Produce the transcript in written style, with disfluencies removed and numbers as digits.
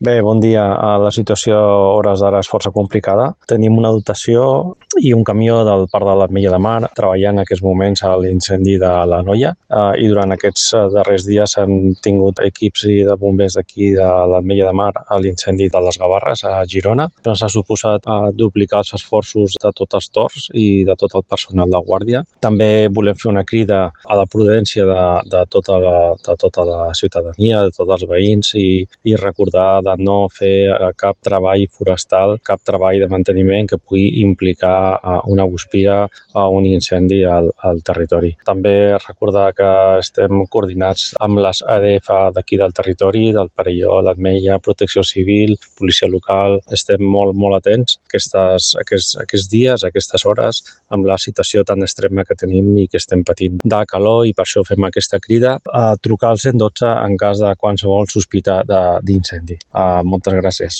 Bé, bon dia. La situació a hores d'ara és força complicada. Tenim una dotació i un camió del Parc de l'Ametlla de Mar treballant en aquests moments a l'incendi de la Noia i durant aquests darrers dies han tingut equips de bombers d'aquí de l'Ametlla de Mar a l'incendi de les Gavarres a Girona. Ens ha suposat duplicar els esforços de tots els torns i de tot el personal de guàrdia. També volem fer una crida a la prudència de tota la ciutadania, de tots els veïns i recordar de no fer cap treball forestal, cap treball de manteniment que pugui implicar una guspira o un incendi al territori. També recordar que estem coordinats amb les ADF d'aquí del territori, del Perelló, l'Ametlla, Protecció Civil, Policia Local. Estem molt atents aquests dies, aquestes hores, amb la situació tan extrema que tenim i que estem patint de calor, i per això fem aquesta crida a trucar al 112 en cas de qualsevol sospita d'incendi. Moltes gràcies.